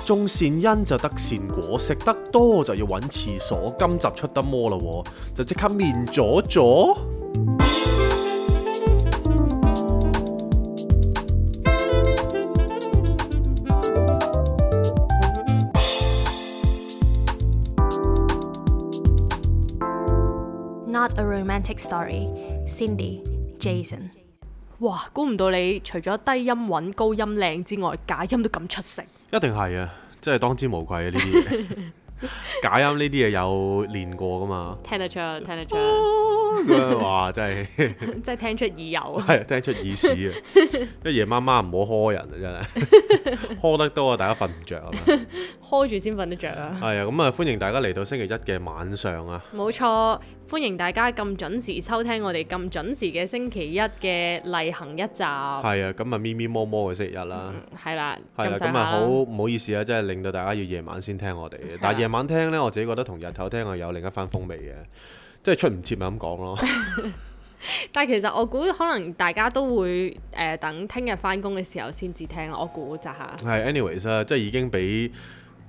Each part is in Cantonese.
種善因就得善果，食得多就要揾廁所。今集出得魔啦喎，就即刻面咗咗。Not a romantic story. Cindy, Jason。哇！估唔到你除咗低音穩、高音靚之外，假音都咁出色。一定係啊，真係當之無愧啊！呢啲嘢假音呢啲嘢有練過噶嘛？聽得出，聽得出。咁樣哇，真係真係聽出耳油。係聽出耳屎啊！一夜媽媽唔好呵人啊，真係呵得多啊，大家瞓唔着啊嘛。呵住先瞓得着啊！係啊，咁啊歡迎大家嚟到星期一嘅晚上啊！冇錯，歡迎大家咁準時收聽我哋咁準時嘅星期一嘅例行一集。係啊，咁啊咪咪摸摸嘅星期一啦。係啦，係啦，咁啊好唔好意思啊，即係令到大家要夜晚先聽我哋嘅。但係夜晚聽呢，我自己覺得同日頭聽係有另一番風味嘅，即係出唔切咪咁講咯。但係其實我估可能大家都會等聽日翻工嘅時候先至聽咯，我估咋嚇。係 anyways 啊，即係已經俾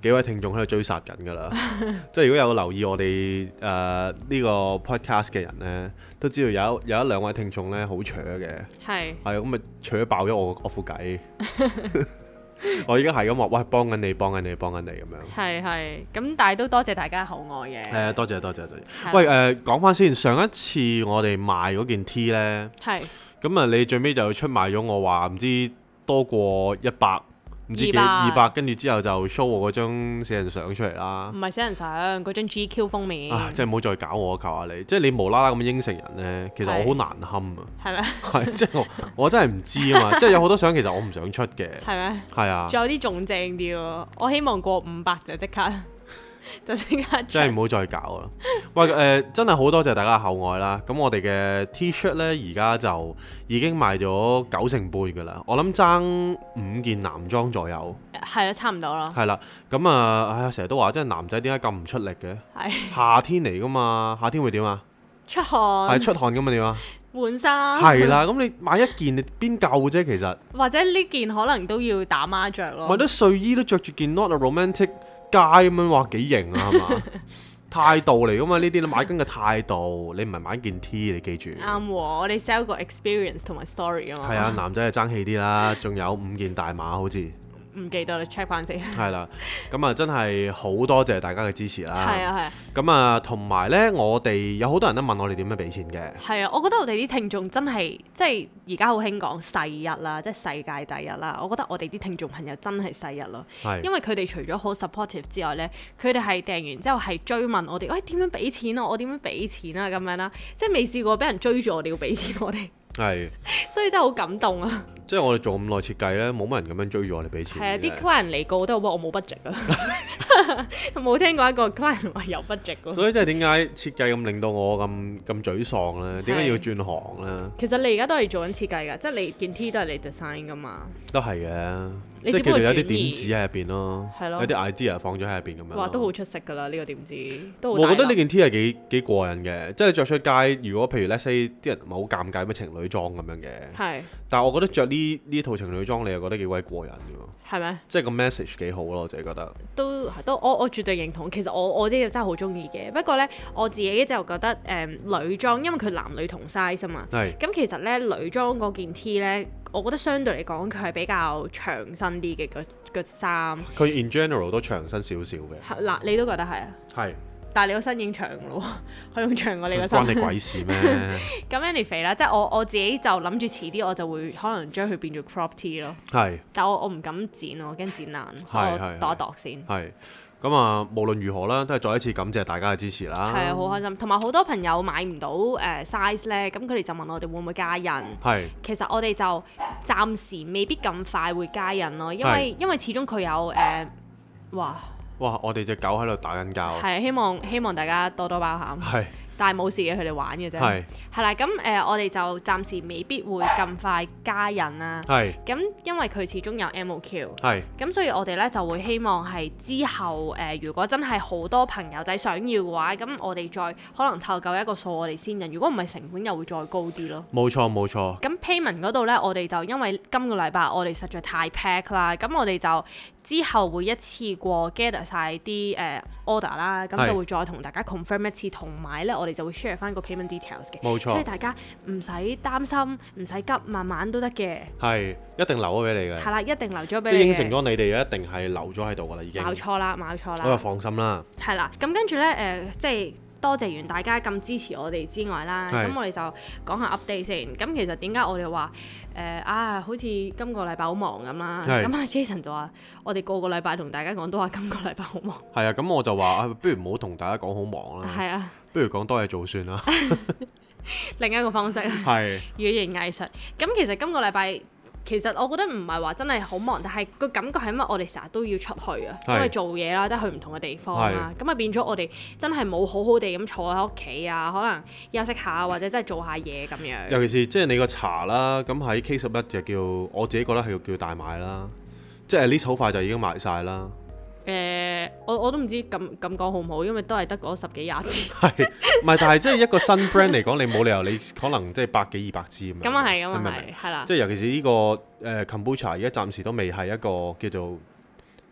幾位聽眾喺度追殺緊㗎啦。即係如果有留意我哋呢個 podcast 嘅人呢，都知道有一兩位聽眾呢好扯嘅。係咁啊，扯爆咗我副計。我而家係咁話，喂，幫緊你咁樣。係咁，但係都多謝大家厚愛嘅。係啊，多謝。喂，講翻先，上一次我哋賣嗰件 T 呢，咁啊，你最尾就出賣咗我話唔知多過100。唔知幾200，跟住之後就 show 我嗰張死人相出嚟啦。唔係死人相，嗰張 GQ 封面。即係唔好再搞我，求下你。即係你無啦啦咁應承人呢，其實我好難堪啊。係咩？係，即係我真係唔知啊嘛。即係有好多相其實我唔想出嘅。係咩？係啊。仲有啲仲正啲喎，我希望過500就即刻。真係唔好再搞啦！喂，真係好多謝大家嘅厚愛啦。咁我哋嘅 T-shirt 呢，而家就已經賣咗90%㗎啦。我諗爭5件男裝左右。係啦，差唔多啦。係啦，咁啊，成日都話，即係男仔點解咁唔出力嘅？夏天嚟㗎嘛，夏天會點啊？出汗。係出汗㗎嘛？點啊？換衫。係啦，咁你買一件你邊夠啫？其實。或者呢件可能都要打孖着咯。買啲睡衣都着住件 Not a Romantic街咁樣，哇幾型啊，係嘛？態度嚟噶嘛，呢啲你買緊嘅態度，你唔係買件 T， 你記住。啱喎，我哋 sell 個 experience 同埋 story 啊嘛。係啊，男仔係爭氣啲啦，仲有5件大碼好似。唔記得啦 ，check 翻先。係啦，咁啊真係好多謝大家嘅支持啦。係啊。咁啊，同埋呢，我哋有好多人都問我哋點樣俾錢嘅。係啊，我覺得我哋啲聽眾真係即係而家好興講世一啦，即係世界第一啦。我覺得我哋啲聽眾朋友真係世一咯。因為佢哋除咗好 supportive 之外呢，佢哋係訂完之後係追問我哋，喂點樣俾錢啊？我點樣俾錢啊？咁樣啦，即係未試過俾人追住我哋要俾錢我哋。係。所以真係好感動啊！即係我哋做咁耐設計咧，冇乜人咁樣追住我哋俾錢。係啊，啲 client 嚟過都話我冇 budget 啊，冇聽過一個 client 話有 budget 喎。所以即係點解設計咁令到我咁沮喪咧？點解要轉行咧？其實你而家都係做緊設計㗎，即係你件 T 都係你 design 㗎嘛。都係嘅，即係叫做有啲點子喺入邊咯，有啲 idea 放咗喺入邊咁樣。哇，都好出色㗎啦！呢個點子都好。我覺得呢件 T 係幾過癮嘅，即係你着出街，如果譬如 let's say 啲人唔係好尷尬咩情侶裝咁樣嘅。係。但係我覺得着呢套情侶裝，你又覺得幾鬼過癮㗎喎。係咩？即係個 message 幾好咯，我自己覺得。都我絕對認同。其實我啲真係好中意嘅。不過咧，我自己就覺得女裝，因為佢男女同 size 啊嘛。係。咁其實咧女裝嗰件 T 咧，我覺得相對嚟講佢係比較長身啲嘅個衫。佢 in general 都長身少少嘅。嗱，你都覺得係啊？係。但係你個身已經長咯，可以用長過你個身。關你鬼事咩？咁 anyway 啦，即係我自己就諗住遲啲我就會可能將佢變做 crop T 咯。係。但我唔敢剪咯，我驚剪爛，所以我度一度先。係。咁啊，無論如何啦，都係再一次感謝大家嘅支持啦。係啊，好開心。同埋好多朋友買唔到size 咧，咁佢哋就問我哋會唔會加印。係。其實我哋就暫時未必咁快會加印咯，因為始終佢有哇！我哋隻狗喺度打緊交。係，希望大家多多包涵。係。但係冇事嘅，佢哋玩嘅啫。係啦，咁我哋就暫時未必會咁快加印啦。係。咁因為佢始終有 MOQ。係。咁所以我哋咧就會希望係之後如果真係好多朋友仔想要嘅話，咁我哋再可能湊夠一個數，我哋先印。如果唔係，成本又會再高啲咯。冇錯冇錯。咁 payment 嗰度咧，我哋就因為今個禮拜我哋實在太 pack 啦，咁我哋就之後會一次過 gather 曬啲order 啦，咁就會再同大家 confirm 一次，同埋咧我哋就會 share 翻個 payment details 嘅。冇錯。所以大家唔使擔心，唔使急，慢慢都得嘅。係，一定留咗俾你嘅。係啦，一定留咗俾你嘅。即係應承咗你哋，一定係留咗喺度㗎啦，已經。冇錯啦，冇錯啦。咁就放心啦。係啦，咁跟住咧即係。多謝完大家咁支持我哋之外啦，咁我哋就講下 update 先。咁其實點解我哋話好似今個禮拜好忙咁啦？咁阿 Jason 就話我哋個禮拜同大家講都話今個禮拜好忙。係啊，咁我就話不如唔好同大家講好忙啦。係啊，不如講多嘢做算啦。另一個方式係語言藝術。咁其實今個禮拜。其實我覺得唔係話真係好忙，但係個感覺係因為我哋成日都要出去啊，因為做嘢啦，即係去唔同嘅地方啦，咁啊變咗我哋真係冇好好地咁坐喺屋企啊，可能休息下或者真係做下嘢咁樣。尤其是即係你個茶啦，咁喺 K11就叫我自己覺得係叫大賣啦，即係 at least 好快就已經賣晒啦。我都唔知咁講好唔好，因為都係得嗰10幾20支。係，唔係？但係即係一個新 brand 嚟講，你冇理由你可能即係100幾200支咁樣。咁啊係，咁啊係，係啦。即係尤其是呢個Kombucha，而家暫時都未係一個叫做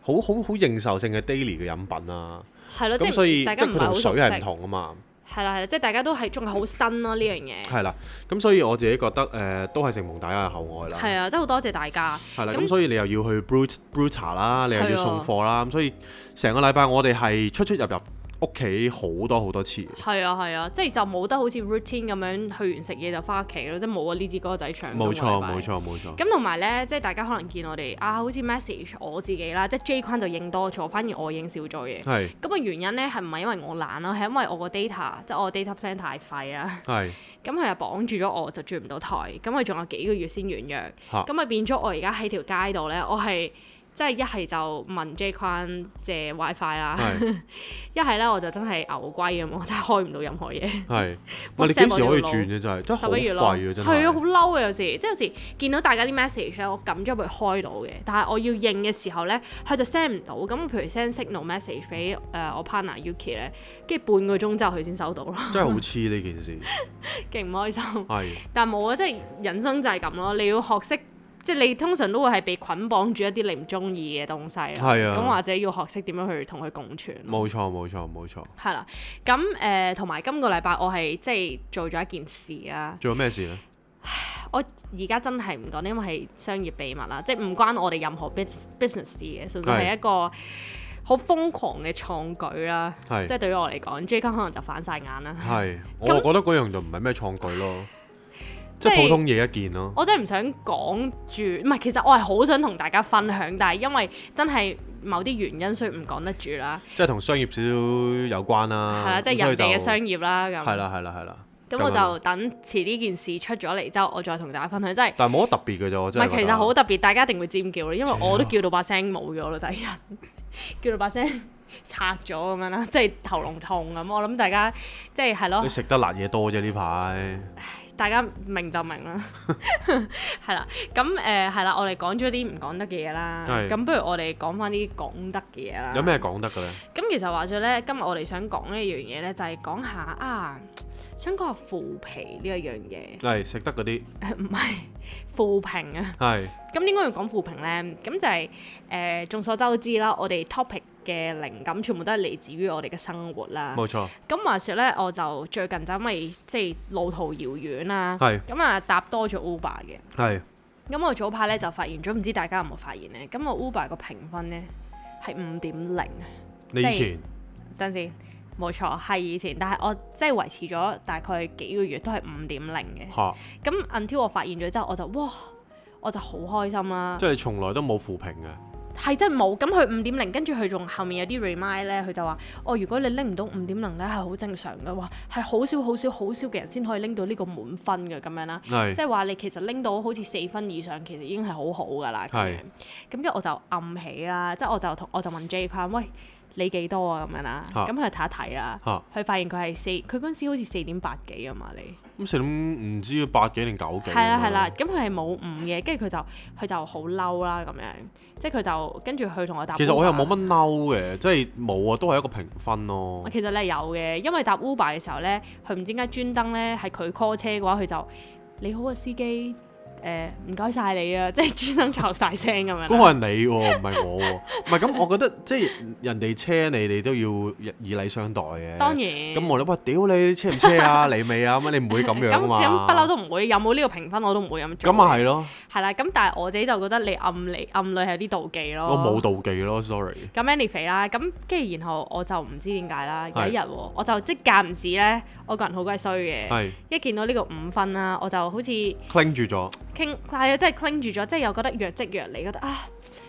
好認受性嘅 daily 嘅飲品啊。係咯，咁所以大家即係佢同水係唔同啊嘛。係啦，即係大家都係仲係好新咯呢樣嘢。係啦，咁所以我自己覺得都係承蒙大家嘅厚愛啦。係啊，真係好多謝大家。係啦，咁所以你又要去 brew 茶啦，你又要送貨啦，咁所以成個禮拜我哋係出入屋企好多次。係啊，即係就冇得好似 routine 咁樣去完食嘢就翻屋企咯，即係冇啊呢支歌仔唱。冇錯。咁同埋咧，即係大家可能見我哋好似 message 我自己啦，即係 J 框就應多咗，反而我應少咗嘅。係。咁個原因咧係唔係因為我懶咯，係因為我個 data 即係我個 data plan 太廢啦。係。咁佢又綁住咗我，就轉唔到台。咁佢仲有幾個月先完約。咁咪變咗我而家喺條街度咧，我係。即係一係就問 J 框借 WiFi 啦，一係咧我就真係牛龜咁，我真係開唔到任何嘢。係，你幾時可以轉嘅真係？真係好廢啊！真係。係啊，好嬲啊！有時即係有時見到大家啲 message 咧，我撳咗佢開到嘅，但係我要應嘅時候咧，佢就 send 唔到。咁譬如 send signal message 俾我 partner Yuki 咧，跟住半個鐘之後佢先收到咯。真係好黐呢件事，勁唔開心。係。但係冇啊，即係人生就係咁咯，你要學識。即係你通常都會係被捆綁住一啲你唔中意嘅東西啦，咁或者要學識點樣去同佢共存。冇錯。係啦，咁同埋今個禮拜我係即係做咗一件事啦。做咗咩事呢？我而家真係唔講，因為係商業秘密啦，即係唔關我哋任何 business 事嘅，純粹係一個好瘋狂嘅創舉啦。即係對於我嚟講，J 康可能就反晒眼啦。係，我覺得嗰樣就唔係咩創舉咯。即係普通嘢一件咯。我真係唔想講住，唔係，其實我係好想同大家分享，但係因為真係某啲原因，所以唔講得住啦。即係同商業少少有關啦。係啦，即係人哋嘅商業啦。咁係啦。咁我就等遲呢件事出咗嚟之後，我再同大家分享。真係。但係冇乜特別嘅啫，我真係。唔係，其實好特別，大家一定會尖叫咯，因為我都叫到把聲冇咗啦，第一日叫到把聲拆咗咁樣啦，即係喉嚨痛咁。我諗大家即係咯。你食得辣嘢多啫呢排。大家明就明啦，係啦，咁係啦，我哋講咗啲唔講得嘅嘢啦，咁不如我哋講翻啲講得嘅嘢啦。有咩講得嘅咧？咁其實話說咧，今日我哋想講呢一樣嘢咧，就係講下想講下腐皮呢一樣嘢。係食得嗰啲？唔係腐評啊。係。咁點解要講腐評咧？咁就係眾所周知啦，我哋 topic嘅靈感全部都係嚟自於我哋嘅生活啦。冇錯。咁話說咧，我就最近就因為即係路途遙遠啦，咁啊搭多咗 Uber 嘅。係。咁我早排咧就發現咗，唔知大家有冇發現咧？咁我 Uber 個評分咧係5.0。你以前？等陣先，冇錯，係以前，但係我即係維持咗大概幾個月都係5.0嘅。嚇。咁 until 我發現咗之後，我就好開心啦。即係你從來都冇負評嘅。係真係冇，咁佢5.0，跟住佢仲後面有啲 remind 咧，佢就話如果你拎唔到5.0咧，係好正常嘅，話係好少嘅人先可以拎到呢個滿分嘅咁樣啦。即係話你其實拎到好似4分以上，其實已經係好好㗎啦。係。咁跟住我就暗起啦，即係我就問 J 框，喂，你幾多啊？咁樣啦，咁佢就睇一睇啦，佢發現佢係佢嗰陣時好似4.8幾啊嘛，你。咁4唔知8幾定9幾？係啦，咁佢係冇5嘅，跟住佢就好嬲啦咁樣，即係佢就跟住佢同我答。其實我又冇乜嬲嘅，即係冇啊，都係一個評分咯。其實你係有嘅，因為搭 Uber 嘅時候咧，佢唔知點解專登咧係佢 call 車嘅話，佢就你好啊司機。唔該晒你啊，即係專登嘈晒聲咁樣。嗰個係你喎，唔係我喎。唔係咁，我覺得即係人哋車你都要以禮相待嘅。當然。咁我哋話屌你車唔車啊？嚟未啊？咁你唔會咁樣啊嘛。咁不嬲都唔會，有冇呢個評分我都唔會咁做。咁啊係咯。係啦，咁但係我自己就覺得你暗裏係有啲妒忌咯。我冇妒忌咯，sorry。咁 anyway 啦，咁跟住然後我就唔知點解啦，有一日我就即間唔時咧，我個人好鬼衰嘅，一見到呢個5分啦，我就好似cling住咗，係啊，即係 cling 住咗，即係又覺得若即若離，覺得啊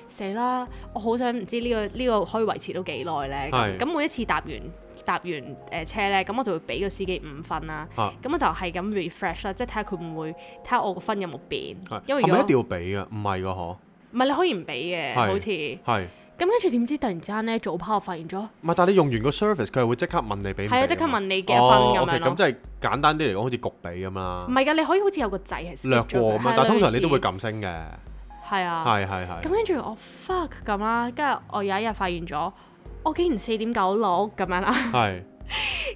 死啦，我好想唔知呢個可以維持到幾耐咧。咁每一次搭完車咧，咁我就會俾個司機5分啦。咁我就係咁 refresh 啦，即係睇下佢會唔會睇下我個分有冇變。因為如果係咪一定要俾㗎？唔係㗎嗬。唔係你可以唔俾嘅，好似。係。咁跟住點知突然之間咧，早跑我發現咗。唔係，但係你用完個 service，佢係會即刻問你俾唔俾？係啊，即刻問你幾多分咁樣咯。咁即係簡單啲嚟講，好似焗俾咁啦。唔係㗎，你可以好似有個掣係略過咁，但係通常你都會撳升嘅。係啊。係。咁跟住我 fuck 咁啦，跟住我有一日發現咗，我竟然4.96咁樣啦。係。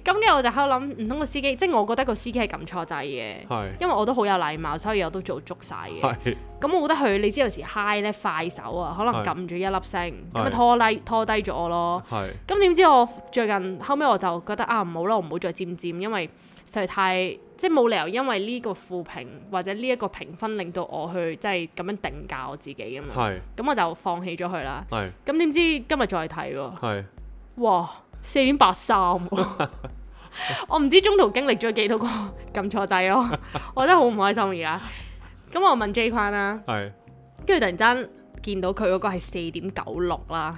咁跟住我就喺度諗，唔通個司機，即係我覺得個司機係撳錯掣嘅，因為我都好有禮貌，所以我都做足晒嘅。咁我覺得佢，你知有時 high 咧快手啊，可能撳住一粒星，咁咪拖低咗我咯。咁點知我最近後尾我就覺得啊，唔好啦，我唔好再佔，因為實在太即係冇理由因為呢個負評或者呢一個評分令到我去即係咁樣定價我自己咁樣。咁我就放棄咗佢啦。咁點知今日再睇喎。哇！4.83 我唔知中途經歷咗幾多個撳錯掣咯，我真係好唔開心而家。咁我問 J 框啦，跟住突然間見到佢嗰個係4.96啦，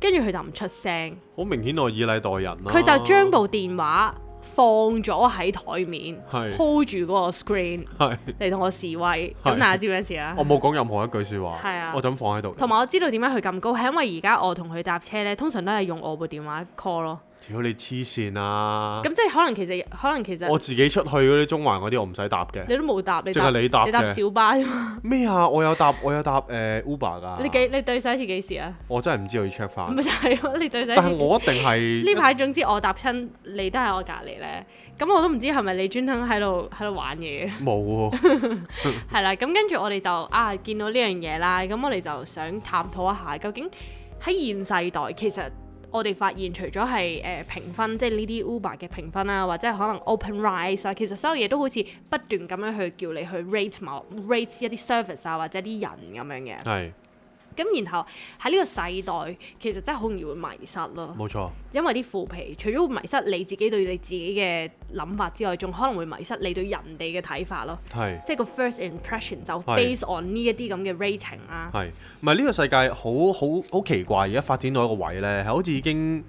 跟住佢就唔出聲，好明顯我以禮待人啦。佢就將部電話放咗喺台面，hold 住嗰個 screen 嚟同我示威。咁大家知咩事啊？我冇講任何一句説話，我就咁放喺度。同埋我知道點解佢咁高，係因為而家我同佢搭車咧，通常都係用我部電話 call 咯。屌你黐線啊！咁即係可能其實我自己出去嗰啲中環嗰啲我唔使搭嘅。你都冇搭，你搭你搭小巴啫嘛。咩啊？我有搭Uber 㗎。你對上一次幾時啊？我真係唔知，我要 check 翻。咪就係咯，你對上一次。但係我一定係呢排總之我搭親你都喺我隔離咧，咁我都唔知係咪你專登喺度玩嘢。冇喎。係啦，咁跟住我哋就見到呢樣嘢啦，咁我哋就想探討一下究竟喺現世代其實。我哋發現除咗係評分，即係呢啲 Uber 嘅評分啦，或者係可能 OpenRice 啊，其實所有嘢都好似不斷咁樣去叫你去 rate 一啲 service 啊，或者啲人咁樣嘅。係。咁然後喺呢個世代，其實真係好容易會迷失咯。冇錯。因為啲負評，除咗會迷失你自己對你自己嘅諗法之外，仲可能會迷失你對人哋嘅睇法咯。係。即係個 first impression 就 based on 呢一啲咁嘅 rating 啦。係。唔係呢個世界好奇怪，而家發展到一個位咧，係好似已經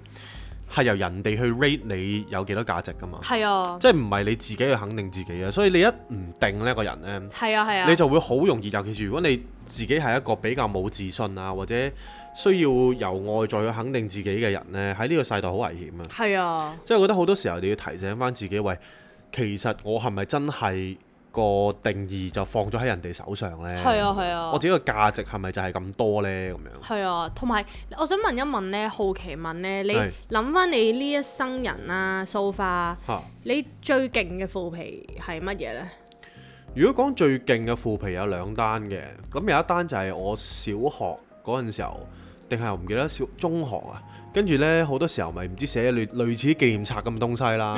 係由人哋去 rate 你有幾多價值㗎嘛。係啊。即係唔係你自己去肯定自己啊？所以你一唔定呢個人咧，係啊，你就會好容易，尤其是如果你自己係一個比較冇自信啊，或者需要由外在去肯定自己嘅人呢，喺呢個世代好危險啊！係啊，即係我覺得好多時候你要提醒翻自己，喂，其實我係咪真係個定義就放咗喺人哋手上呢？係啊係啊，我自己個價值係咪就係咁多呢？咁樣係啊，同埋我想問一問呢，好奇問呢，你諗翻你呢一生人啦，so far，你最勁嘅腐皮係乜嘢呢？如果講最勁嘅腐皮有2單嘅，咁有一單就係我小學嗰陣時候，定係我唔記得中學啊，跟住呢，好多時候咪唔知寫類似紀念冊咁嘅東西啦。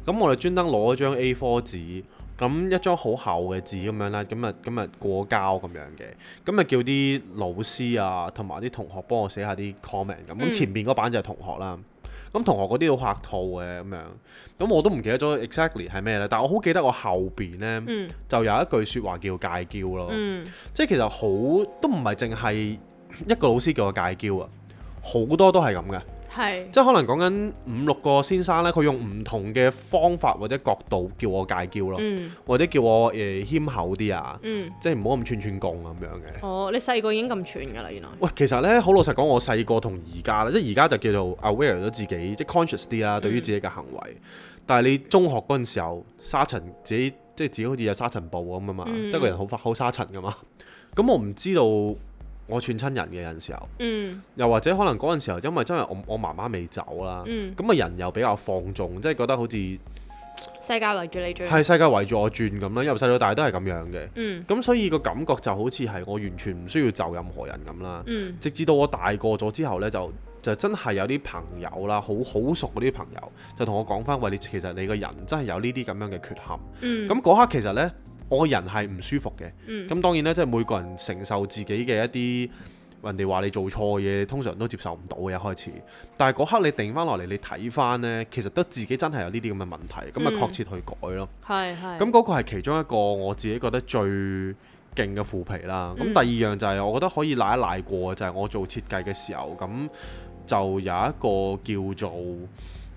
咁我哋專登攞咗張 A4 紙，咁一張好厚嘅紙咁樣啦，咁啊過膠咁樣嘅，咁啊叫啲老師啊同埋啲同學幫我寫下啲 comment 咁。咁前面嗰版就係同學啦。咁同學嗰啲好客套嘅咁樣，咁我都唔記得咗 exactly 係咩咧，但係我好記得我後邊呢，就有一句説話叫戒驕咯，即係其實好都唔係淨係一個老師叫我戒驕啊，好多都係咁嘅，即係可能講緊5-6個先生呢，佢用唔同嘅方法或者角度叫我戒驕咯，或者叫我謙厚啲啊，即係唔好咁串貢咁樣嘅。哦，你細個已經咁串㗎啦，原來。喂，其實呢，好老實講，我細個同而家咧，即係而家就叫做 aware 咗自己，即係 conscious 啲啦，對於自己嘅行為。但係你中學嗰陣時候，沙塵自己即係自己好似有沙塵暴咁啊嘛，即係個人好沙塵㗎嘛。咁我唔知道。我串親人嘅有陣時候，又或者可能嗰陣時候，因為真係我媽媽未走啦，咁啊人又比較放縱，即係覺得好似世界圍住你轉，係世界圍住我轉咁啦，由細到大都係咁樣嘅。咁所以個感覺就好似係我完全唔需要就任何人咁啦。直至到我大個咗之後呢，就真係有啲朋友啦，好熟嗰啲朋友就同我講翻話，其實你個人真係有呢啲咁樣嘅缺陷。咁嗰刻其實呢，我個人係唔舒服嘅。咁當然呢，即係每個人承受自己嘅一啲人哋話你做錯嘢，通常都接受唔到嘅一開始。但係嗰刻你定翻落嚟，你睇翻呢，其實都自己真係有呢啲咁嘅問題，咁啊確切去改咯。咁嗰個係其中一個我自己覺得最勁嘅腐皮啦。咁第二樣就係我覺得可以賴一賴過，就係我做設計嘅時候，咁就有一個叫做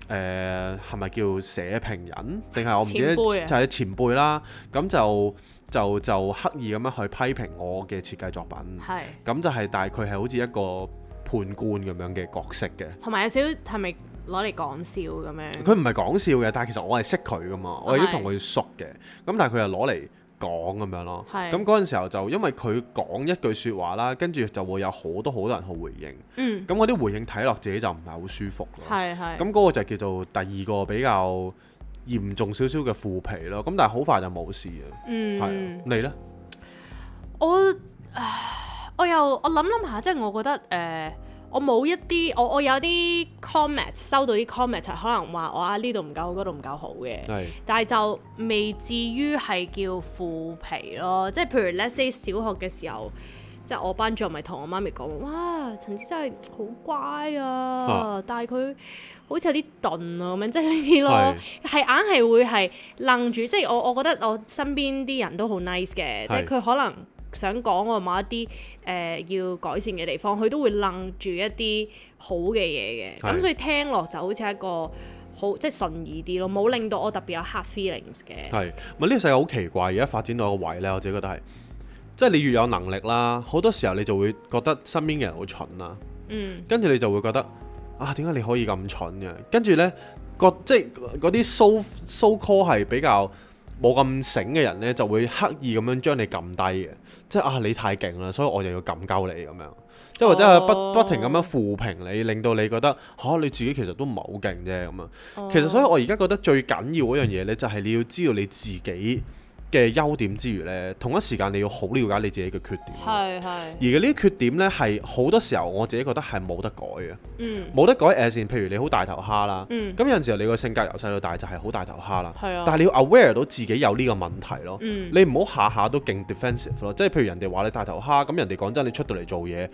係咪叫社評人，定係我唔記得，就係前輩啦。咁就刻意咁樣去批評我嘅設計作品，咁就係，但係佢係好似一個判官咁樣嘅角色嘅，同埋有少少係咪攞嚟講笑咁樣？佢唔係講笑嘅，但係其實我係識佢噶嘛，我亦都同佢熟嘅，咁但係佢又攞嚟講咁樣咯。咁嗰陣時候就因為佢講一句説話啦，跟住就會有好多人去回應，咁嗰啲回應睇落自己就唔係好舒服咯。咁嗰個就叫做第二個比較嚴重少少嘅腐皮咯，咁但係好快就冇事啊。你呢？我諗下，即係我覺得我冇一啲我有啲 comment 收到啲 comment 係可能話我呢度唔夠好，嗰度唔夠好嘅，但係就未至於係叫腐皮咯。即係譬如 let's say 小學嘅時候，即係我班主任咪同我媽咪講，哇，陳子真係好乖啊，但係佢好似有啲鈍啊咁樣，即係呢啲咯，係硬係會係愣住。即係我覺得我身邊啲人都好 nice 嘅，即係佢可能想講我某一啲要改善嘅地方，佢都會愣住一啲好嘅嘢嘅。咁所以聽落就好似一個好即係順耳啲咯，冇令到我特別有 hard feelings 嘅。係咪呢個世界好奇怪？而家發展到一個位呢，我自己覺得係。即係你越有能力啦，好多時候你就會覺得身邊嘅人好蠢啦。跟住你就會覺得點解你可以咁蠢嘅？跟住呢，即係嗰啲 so call 係比較冇咁醒嘅人呢，就會刻意咁樣將你撳低嘅。即係你太勁啦，所以我就要撳鳩你咁樣。即係或者係不停咁樣負評你，令到你覺得你自己其實都唔係好勁啫咁樣。其實所以我而家覺得最緊要嗰樣嘢呢，就係你要知道你自己嘅優點之餘呢，同一時間你要好了解你自己嘅缺點。而呢啲缺點呢，係好多時候我自己覺得係冇得改嘅。冇得改譬如你好大頭蝦啦。咁有陣時候你個性格由細到大就係好大頭蝦啦。但係你要 aware 到自己有呢個問題咯。你唔好下下都勁 defensive 咯。即係譬如人哋話你大頭蝦，咁人哋講真，你出到嚟做嘢，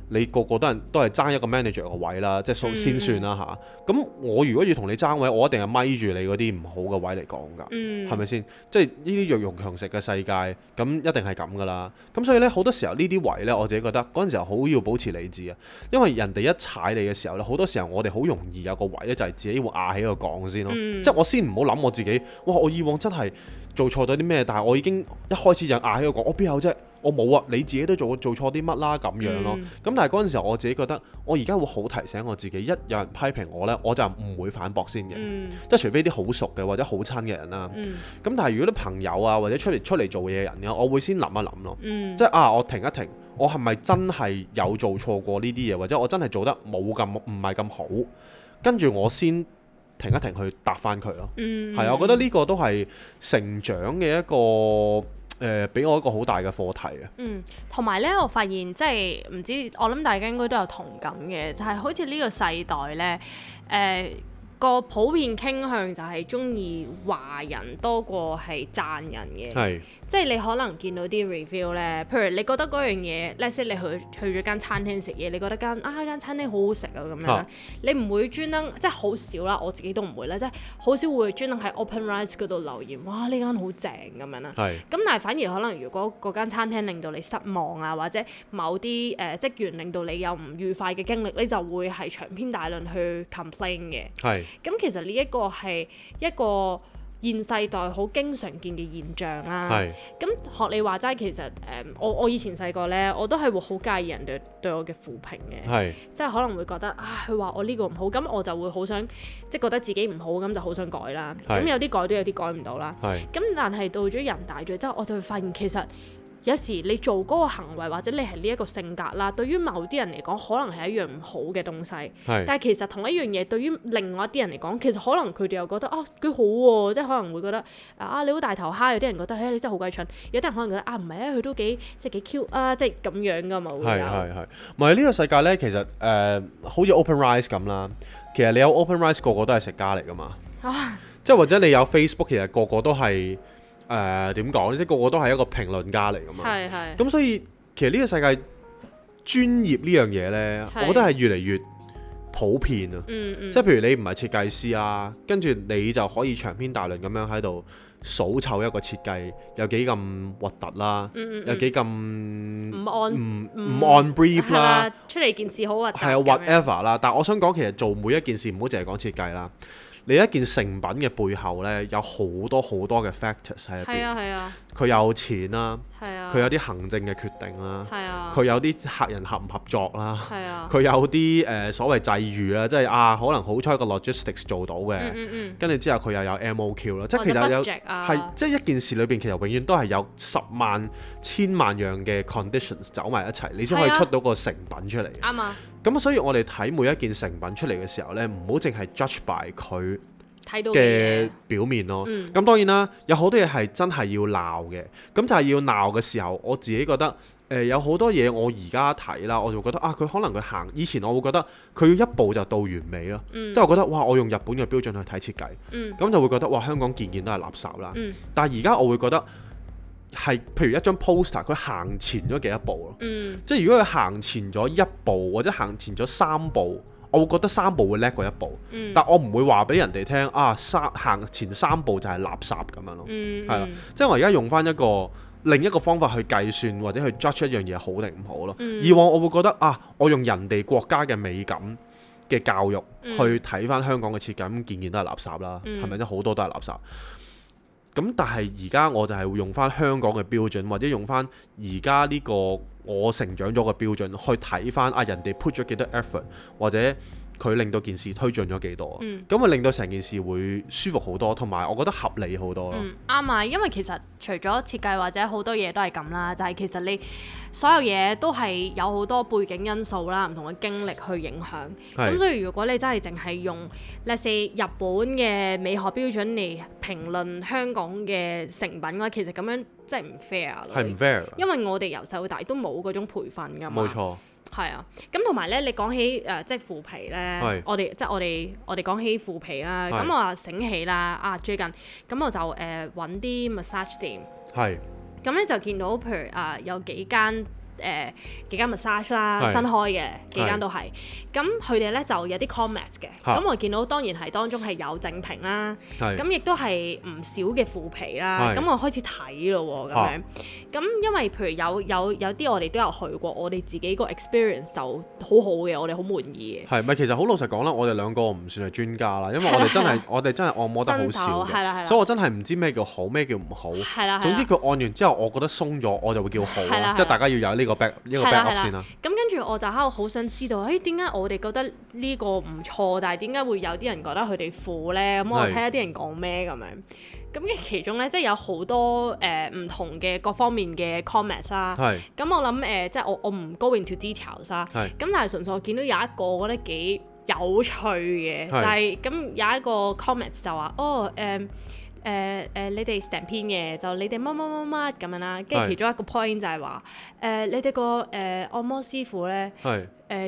你個個都係爭一個 manager 個位啦，即係先算啦嚇。咁我如果要同你爭位，我一定係咪住你嗰啲唔好嘅位嚟講㗎，係咪先？即係呢啲弱肉強食嘅世界，咁一定係咁㗎啦。咁所以咧，好多時候呢啲位咧，我自己覺得嗰陣時候好要保持理智啊。因為人哋一踩你嘅時候咧，好多時候我哋好容易有個位咧，就係自己會壓起個槓先咯。即係我先唔好諗我自己，哇！我以往真係做錯咗啲咩？但係我已經一開始就壓起個槓，我邊有啫？我冇啊！你自己都做錯啲乜啦咁樣咯。咁但係嗰陣時候我自己覺得，我而家會好提醒我自己，一有人批評我呢，我就唔會反駁先嘅。即係除非啲好熟嘅或者好親嘅人啦。咁但係如果啲朋友啊或者出嚟做嘢嘅人呢，我會先諗一諗咯。即係我停一停，我係咪真係有做錯過呢啲嘢，或者我真係做得唔係咁好，跟住我先停一停去答翻佢咯。係啊，我覺得呢個都係成長嘅一個。俾我一個好大嘅課題啊！同埋咧，我發現即係唔知，我諗大家應該都有同感嘅，就係好似呢個世代咧，個普遍傾向就係中意話人多過係讚人嘅。即係你可能見到啲 review 咧，譬如你覺得嗰樣嘢，let's say 你去咗間餐廳食嘢，你覺得間餐廳好好食啊咁樣，你唔會專登，即係好少啦，我自己都唔會啦，即係好少會專登喺 OpenRice 嗰度留言，哇呢間好正咁樣啦。咁但係反而可能如果嗰間餐廳令到你失望啊，或者某啲職員令到你有唔愉快嘅經歷，你就會係長篇大論去 complain 嘅。咁其實呢一個係一個現世代好經常見嘅現象啦。咁學你話齋，其實我以前細個呢，我都係會好介意人對我嘅負評嘅。即係可能會覺得佢話我呢個唔好，咁我就會好想即係覺得自己唔好，咁就好想改啦。咁有啲改都有啲改唔到啦。咁但係到咗人大咗之後，我就會發現其實有時你做嗰個行為或者你係呢一個性格啦，對於某啲人嚟講可能係一樣唔好嘅東西。但係其實同一樣嘢對於另外一啲人嚟講，其實可能佢哋又覺得幾好喎，即係可能會覺得你好大頭蝦，有啲人覺得你真係好鬼蠢，有啲人可能覺得唔係佢都幾 cute 啊，即係咁樣噶嘛會有。係，唔係呢個世界咧，其實好似 OpenRice 咁啦，其實你有 OpenRice 個個都係食家嚟噶嘛。即係或者你有 Facebook， 其實個個都係點講，即係個個都係一個評論家嚟噶嘛。咁所以其實呢個世界專業呢樣嘢呢，我覺得係越嚟越普遍啊。即係譬如你唔係設計師啊，跟住你就可以長篇大論咁樣喺度數湊一個設計有幾咁核突啦，有幾咁唔按 brief 啦，出嚟件事好核突。係啊 whatever 啦，但係我想講其實做每一件事唔好淨係講設計啦。你一件成品嘅背後呢，有好多好多嘅 factors 喺入邊。佢有錢啦，佢有啲行政嘅決定啦，佢有啲客人合唔合作啦，佢有啲所謂際遇啦，即係可能好彩個 logistics 做到嘅，跟住之後佢又有 MOQ 啦，即係其實有即係一件事裏邊其實永遠都係有10萬、千萬樣嘅 conditions 走埋一齊，你先可以出到個成品出嚟。啱啊！咁所以我哋睇每一件成品出嚟嘅時候呢，唔好淨係 judge by 佢嘅表面咯。咁當然啦，有好多嘢係真係要鬧嘅。咁就係要鬧嘅時候，我自己覺得有好多嘢我而家睇啦，我就覺得佢可能佢行以前我會覺得佢要一步就到完美咯。即係我覺得哇，我用日本嘅標準去睇設計，咁就會覺得哇，香港件件都係垃圾啦。但係而家我會覺得係譬如一張 poster， 佢行前咗幾多步咯。即係如果佢行前咗1步或者行前咗3步，我會覺得3步會叻過1步。但我唔會話俾人哋聽行前3步就係垃圾咁樣咯。係啦，即係我而家用翻另一個方法去計算或者去 judge 一樣嘢好定唔好咯。以往我會覺得我用人哋國家嘅美感嘅教育去睇翻香港嘅設計，咁件件都係垃圾啦，係咪？即好多都係垃圾。咁但係而家我就係會用翻香港嘅標準，或者用翻而家呢個我成長咗嘅標準去睇翻人哋 put 咗幾多 effort， 或者佢令到件事推進咗幾多，咁會令到成件事會舒服好多，同埋我覺得合理好多咯。啱啊，因為其實除咗設計或者好多嘢都係咁啦，就係其實你所有嘢都係有好多背景因素啦，唔同嘅經歷去影響。咁所以如果你真係淨係用 let's say 日本嘅美學標準嚟評論香港嘅成品嘅話，其實咁樣真係唔 fair 咯。係唔 fair？因為我哋由細到大都冇嗰種培訓㗎嘛。冇錯。係啊，咁同埋咧，你講起即係腐皮咧，我哋講起腐皮啦，咁我話醒起啦，最近咁我就揾啲 massage 店，咁咧就見到譬如有幾間 massage 啦，新開嘅幾間都係，咁佢哋咧就有啲 comment 嘅，咁我見到當然係當中係有正評啦，咁亦都係唔少嘅腐皮啦，咁我開始睇咯喎，咁樣，咁因為譬如有啲我哋都有去過，我哋自己個 experience 就好好嘅，我哋好滿意嘅。係咪？其實好老實講啦，我哋兩個唔算係專家啦，因為我哋真係按摩得好少嘅，所以我真係唔知咩叫好，咩叫唔好。總之佢按完之後，我覺得鬆咗，我就會叫好，即係大家要有呢個 back up 先啦。咁跟住我就喺度好想知道，點解我哋覺得呢個唔錯，但係點解會有啲人覺得佢哋腐咧？咁我睇下啲人講咩咁樣。咁嘅其中咧，即係有好多唔同嘅各方面嘅 comments 啦。咁我諗即係我唔 go into details 啦。咁但係純粹我見到有一個我覺得幾有趣嘅，就係咁有一個 comments 就話你哋成篇嘅就你哋乜乜乜乜咁樣啦，跟住其中一個 point 就係話你哋個按摩師傅咧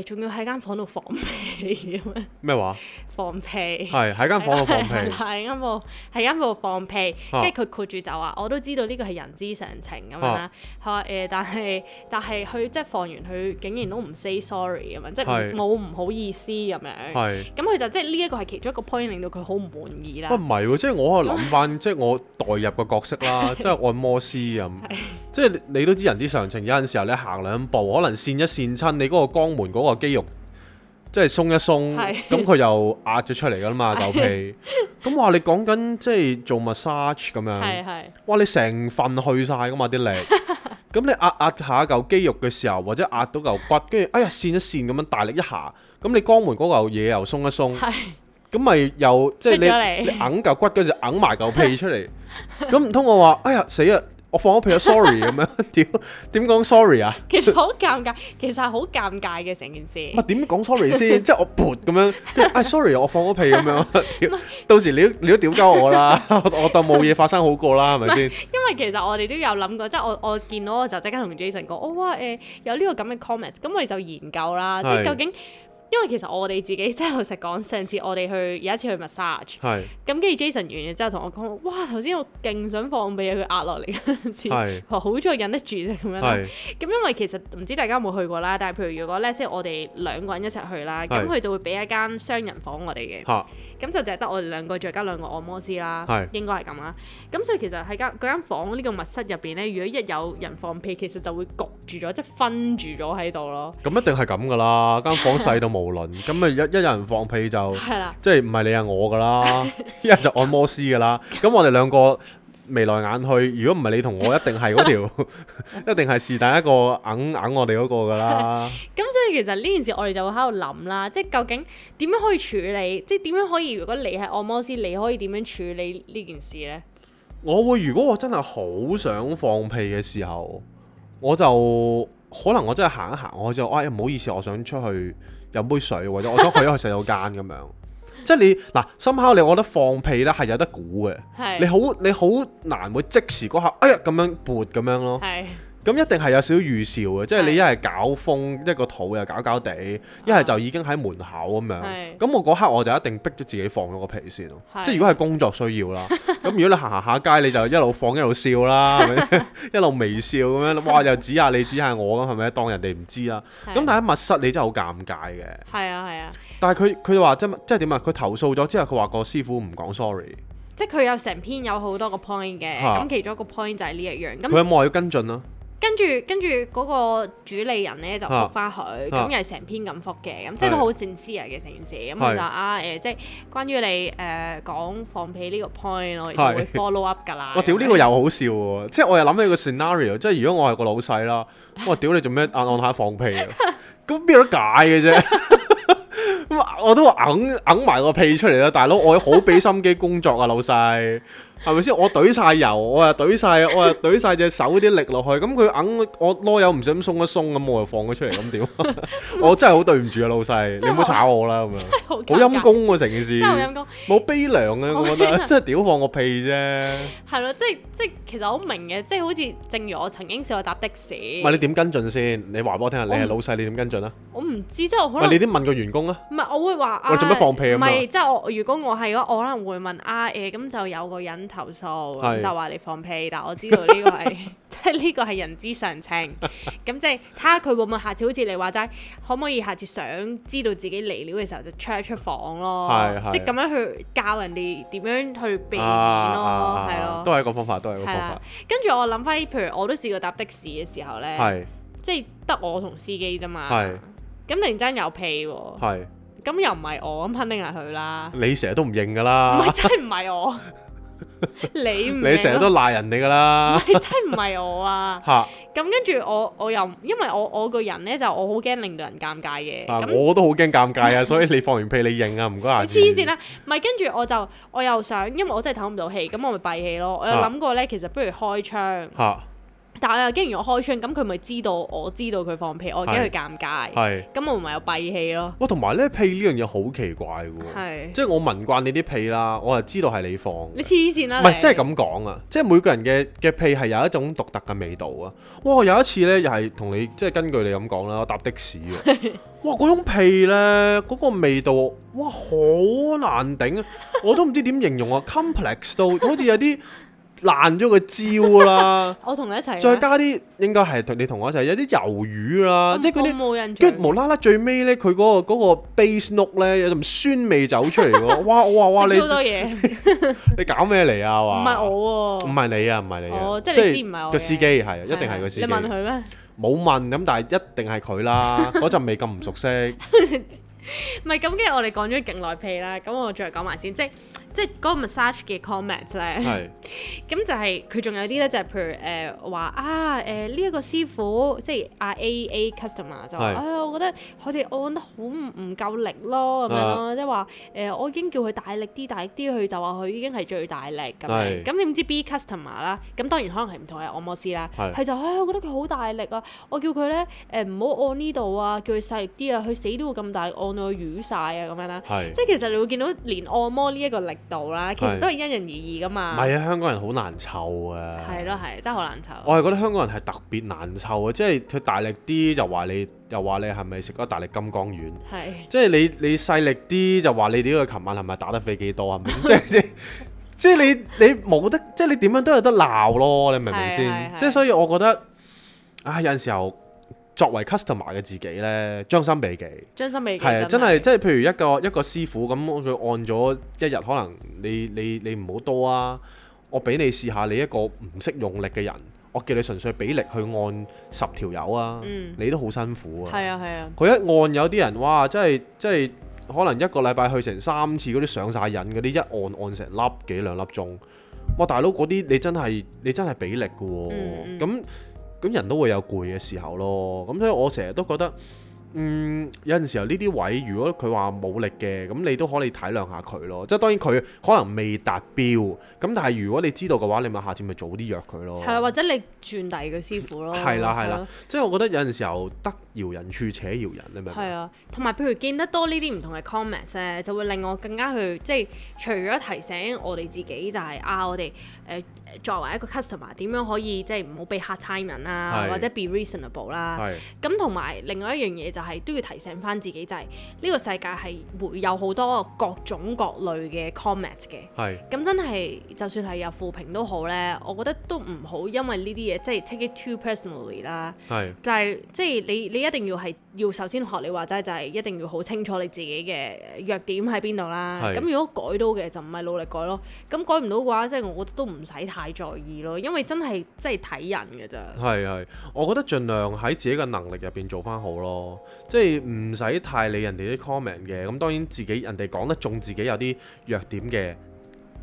仲要喺間房度放屁咁樣。咩話？放屁。係喺間房度放屁。喺間房度放屁，跟住佢括住就話我都知道呢個係人之常情咁樣啦。佢話但係佢即係放完佢竟然都唔 say sorry 咁樣，即係冇唔好意思咁樣。咁佢就即係呢一個係其中一個 point 令到佢好唔滿意啦。唔係喎，即係我喺度諗翻，即係我代入個角色啦，即係按摩師咁。即係你都知人之常情，有陣時候你行2步，可能跣一跣親你嗰個肛門嗰個肌肉，即係鬆一鬆，咁佢又壓咗出嚟噶啦嘛，嚿屁。咁話你講緊即係做 massage 咁樣，哇你成份去晒噶嘛啲力，咁你壓下嚿肌肉嘅時候，或者壓到嚿骨，跟住哎呀跣一跣咁樣大力一下，咁你肛門嗰嚿嘢又鬆一鬆，咁咪又即係你揞嚿骨嗰時揞埋嚿屁出嚟，咁唔通我話哎呀死啊！我放咗屁啊 ，sorry 咁樣，點講 sorry 啊？其實好尷尬，其實係好尷尬嘅成件事。唔係點講 sorry 先？即係我潑咁樣，sorry 我放咗屁咁樣，到時你都屌鳩我啦，我當冇嘢發生好過啦，係咪先？因為其實我哋都有諗過，即係我見到我就即刻同 Jason 講，哇有呢個咁嘅 comment，咁我哋就研究啦，即係究竟。因為其實我哋自己即係老實講，上次我哋有一次去 massage， 咁跟住 Jason 完嘅之後同我講，哇頭先我勁想放屁，佢壓落嚟嗰陣時，好在忍得住啫咁樣啦。咁因為其實唔知大家有冇去過啦，但係譬如如果咧即係我哋兩個人一齊去啦，咁佢就會俾一間雙人房我哋嘅，咁就淨係得我哋兩個再加兩個按摩師啦，應該係咁啦。咁所以其實喺嗰間房呢個密室入邊咧，如果一有人放屁，其實就會焗住咗，即係分住咗喺度咯。咁一定係咁噶啦，間房細到無論，咁咪一有人放屁就即係唔係你係我噶啦，一係就按摩師噶啦。咁我哋兩個眉來眼去，如果唔係你同我，一定係嗰條，一定係是但一個硬我哋嗰個噶啦。咁所以其實呢件事我哋就會喺度諗啦，即係究竟點樣可以處理，即係點樣可以，如果你係按摩師，你可以點樣處理呢件事呢？如果我真係好想放屁嘅時候，我就可能我真係行一行，我就唔好意思，我想出去飲杯水，或者我想去洗手間咁樣。即係你嗱，somehow我覺得放屁咧係有得估嘅，你好難會即時嗰下咁樣撥咁樣咯。咁一定係有少少預兆嘅，即係你一係搞風，一個肚又搞地，一係就已經喺門口咁樣。咁我嗰刻我就一定逼咗自己放咗個屁先咯。即係如果係工作需要啦，咁如果你行下街，你就一路放一路笑啦，係咪？一路微笑咁樣，哇！又指下你指下我咁，係咪？當人哋唔知啦。咁但係喺密室你真係好尷尬嘅。係啊。但係佢話即係點啊？佢投訴咗之後，佢話個師傅唔講 sorry。即係佢有成篇有好多個 point 嘅，咁其中一個 point 就係呢一樣。佢有冇話要跟進啊？跟住嗰個主理人咧就覆翻佢，咁又係成篇咁覆嘅，咁即係都好sincere嘅成件事。咁佢就即係關於你講放屁呢個 point， 我哋就會 follow up 㗎啦。我屌呢個又好笑喎，即係我又諗起個 scenario，即係如果我係個老細啦，我屌你做咩按下放屁啊？咁邊有得解嘅啫？我都話揞埋個屁出嚟啦，大佬，我好俾心機工作啊，老細。係咪先？我懟晒油，我又懟晒隻手啲力落去，咁佢我囉柚唔想鬆一鬆，咁我又放咗出嚟，咁點？我真係好對唔住啊，老細，你唔好炒我啦，咁樣。好陰公喎成件事。真係好陰公。冇悲涼啊，我覺得，真係屌放個屁啫。係咯，即係其實好明嘅，即係好似正如我曾經試過搭的士。唔係你點跟進先？你話俾我聽下，你係老細，你點跟進啊？我唔知，即係我可能。你點問個員工啊？唔係，我會話我做咩放屁啊？唔係，即係如果我係我可能會問咁就有個人投訴，咁就話你放屁，但我知道呢個係即係呢個係人之常情，咁即係睇下佢會唔會下次好似你話齋，可唔可以下次想知道自己嚟料嘅時候就出一出房咯，即係咁樣去教人哋點樣去避免咯，係咯，都係一個方法，都係一個方法。跟住我諗翻，譬如我都試過搭的士嘅時候咧，即係得我同司機啫嘛，咁突然間有屁喎，咁又唔係我，咁肯定係佢啦。你成日都唔認㗎啦，唔係真係唔係我。你成日都賴人哋噶啦，真係唔係我啊！咁跟住我又因為我個人咧就我好驚令到人尷尬嘅，我都好驚尷尬啊！所以你放完屁你認啊，唔該下。黐線啦，唔係跟住我又想，因為我真係唞唔到氣，咁我咪閉氣咯。我有諗過咧，其實不如開窗。但係我又驚，如果開窗，咁佢咪知道我知道佢放屁，我驚佢尷尬。咁我唔係有閉氣咯。同埋咧屁呢樣嘢好奇怪嘅，即係我聞慣你啲屁啦，我就知道係你放。你黐線啦！唔係，即係咁講啊！即係每個人嘅屁係有一種獨特嘅味道啊！哇，有一次咧又係同你即係根據你咁講啦，我搭的士喎，哇嗰種屁咧嗰個味道，哇好難頂啊！我都唔知點形容啊 ，complex 到好似有啲。爛咗個焦啦！我同你一齊，再加啲應該係你同我一齊，有啲魷魚啦，即係嗰啲，跟住無啦啦最尾咧，佢嗰個 base note 咧有陣酸味走出嚟喎！哇！我話哇你好多嘢，你搞咩嚟啊？話唔係我喎，唔係你啊，唔係你啊，即係你知唔係我個司機係，一定係個司機。你問佢咩？冇問咁，但係一定係佢啦。嗰陣味咁唔熟悉。唔係咁，跟住我哋講咗勁耐屁啦，咁我再講埋先，即係即係嗰個 massage 嘅 comment 咧，咁就係佢仲有啲咧，就係譬如話呢一個師傅，即係阿 A customer 就話我覺得佢哋按得好唔夠力咯，咁樣咯，即係話我已經叫佢大力啲，佢就話佢已經係最大力咁樣。咁點知 B customer 啦，咁當然可能係唔同嘅按摩師啦，佢就我覺得佢好大力啊，我叫佢咧唔好按呢度啊，叫佢細力啲啊，佢死都會咁大力按到佢瘀晒啊咁樣啦。即係其實你會見到連按摩呢一個力度啦，其實都係因人而異噶嘛。唔係啊，香港人好難湊啊。係咯，係真係好難湊。我係覺得香港人係特別難湊啊，即係佢大力啲就話你，又話你係咪食咗大力金剛丸？係。即係你細力啲就話你呢個琴晚係咪打得飛機多係咪？即係你冇得，即係你點樣都有得鬧咯，你明唔明先？即係所以我覺得有陣時候作為 customer 嘅自己咧，將心比己。將心比己係真係，即係譬如一個師傅咁，佢按咗一日，可能你唔好多啊，我俾你試下，你一個唔識用力嘅人，我叫你純粹俾力去按10條友啊，你都好辛苦啊。係啊係啊。佢一按有啲人哇，真係可能一個禮拜去成3次嗰啲上晒癮嗰啲，一按成粒幾2粒鐘，哇大佬嗰啲你真係俾力㗎喎，咁人都會有攰嘅時候咯，咁所以我成日都覺得。有陣時候呢啲位，如果佢話冇力嘅，咁你都可以體諒下佢咯。即係當然佢可能未達標，咁但係如果你知道嘅話，你咪下次咪早啲約佢咯。係啊，或者你轉第二個師傅咯。係啦，即係我覺得有陣時候得饒人處且饒人，你明唔明？係啊，同埋譬如見得多呢啲唔同嘅 comments 咧，就會令我更加去即係除咗提醒我哋自己，就係我哋作為一個 customer 點樣可以即係唔好被嚇親人啦，或者 be reasonable 啦。咁同埋另外一樣嘢就係都要提醒翻自己，就係呢個世界係會有好多各種各類嘅 comments 嘅。咁真係就算係有負評都好咧，我覺得都唔好因為呢啲嘢即係 take it too personally 啦。就係即係你一定要首先學你話齋，就係一定要好清楚你自己嘅弱點喺邊度啦。咁如果改到嘅就唔係努力改咯。咁改唔到嘅話，即係我覺得都唔使太在意咯，因為真係睇人㗎咋。係，我覺得盡量喺自己嘅能力入邊做翻好咯，即係唔使太理人哋啲 comment 嘅。咁當然自己人哋講得中自己有啲弱點嘅，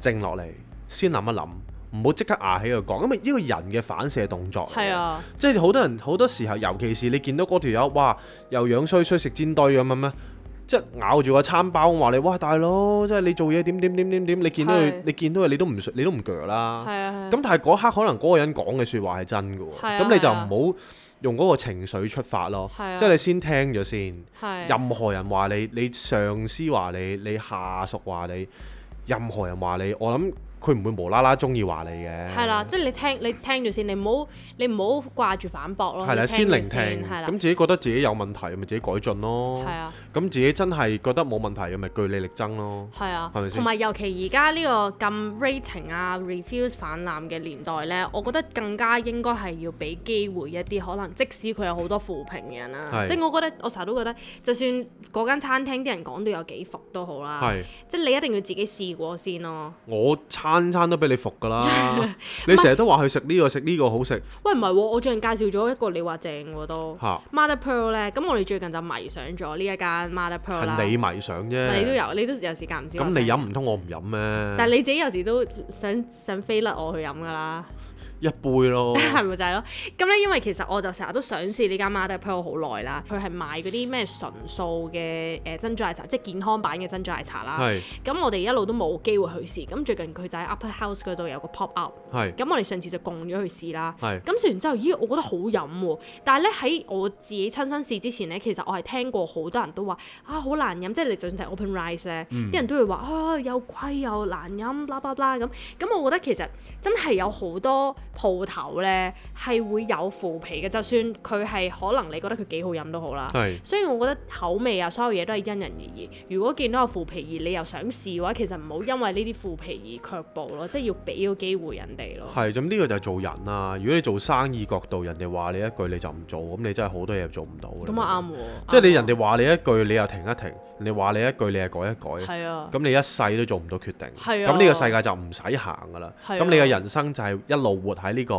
靜落嚟先諗一諗，唔好即刻牙起去講，因為呢個人嘅反射動作。係啊，即係好多人好多時候，尤其是你見到嗰條友，哇，又樣衰衰食煎堆咁樣咩？即係咬住個餐包話你，哇大佬，即係你做嘢點，你見到佢你都唔鋸啦。咁但係嗰刻可能嗰個人講嘅説話係真嘅喎，咁你就唔好用嗰個情緒出發咯。即係你先聽咗先。任何人話你，你上司話你，你下屬話你，任何人話你，我諗佢唔會無啦啦中意話你嘅。係啦，即係你聽咗先，你唔好掛住反駁咯。係啦，先聆聽。咁自己覺得自己有問題，咪自己改進咯。係啊。咁自己真係覺得冇問題嘅，咪據理力爭咯。係啊。係咪先？同埋尤其而家呢個咁 rating 啊 reviews 氾濫嘅年代呢，我覺得更加應該係要俾機會一啲可能即使佢有好多負評嘅人啦。即係我成日都覺得，就算嗰間餐廳啲人講到有幾伏都好啦。即係你一定要自己試過先咯。我餐都俾你服㗎啦！你成日都話去食呢個好食。喂，唔係喎，我最近介紹咗一個你話正喎都。Mother Pearl 咧，咁我哋最近就迷上咗呢一間 Mother Pearl 啦。係你迷上啫。你都有時間唔知。咁你飲唔通我唔飲咩？但係你自己有時都想飛甩我去飲㗎啦。一杯咯，係咪就係咯？咁咧，因為其實我就成日都想試呢間 Mother Pearl 好耐啦。佢係賣嗰啲咩純素嘅珍珠奶茶，即係健康版嘅珍珠奶茶啦。咁我哋一路都冇機會去試。咁最近佢就喺 Upper House 嗰度有個 pop up。咁我哋上次就共咗去試啦。咁試完之後，咦，我覺得好飲喎。但係咧喺我自己親身試之前咧，其實我係聽過好多人都話好難飲，即係你就算係 Open Rice 咧，啲人都會話又貴又難飲，blah blah blah咁。咁我覺得其實真係有好多鋪頭咧係會有腐皮嘅，就算佢係可能你覺得佢幾好飲都好啦。所以我覺得口味啊，所有嘢都係因人而異。如果見到有腐皮而你又想試嘅話，其實唔好因為呢啲腐皮而卻步咯，即係要俾個機會人哋咯。係，咁呢個就係做人啦。如果你做生意角度，人哋話你一句你就唔做，咁你真係好多嘢做唔到。咁啊啱喎，即係你人哋話你一句，你又停一停，人哋話你一句，你係改一改。係啊。咁你一世都做唔到決定。係啊。咁呢個世界就唔使行㗎啦。係啊。咁你嘅人生就係一路活喺呢個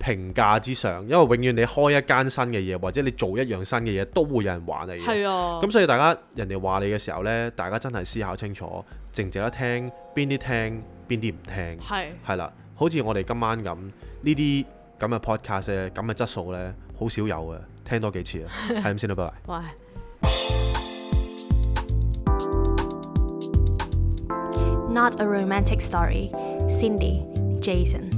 評價之上，因為永遠你開一間新嘅嘢，或者你做一樣新嘅嘢，都會有人話你嘅。係啊。咁所以大家人哋話你嘅時候呢，大家真係思考清楚，值唔值得聽，邊啲聽，邊啲唔聽。係啦，好似我哋今晚咁呢啲咁嘅 podcast 咧，咁嘅質素呢，好少有嘅，聽多幾次啊，係咁先啦，拜拜。喂。Not a romantic story. Cindy, Jason.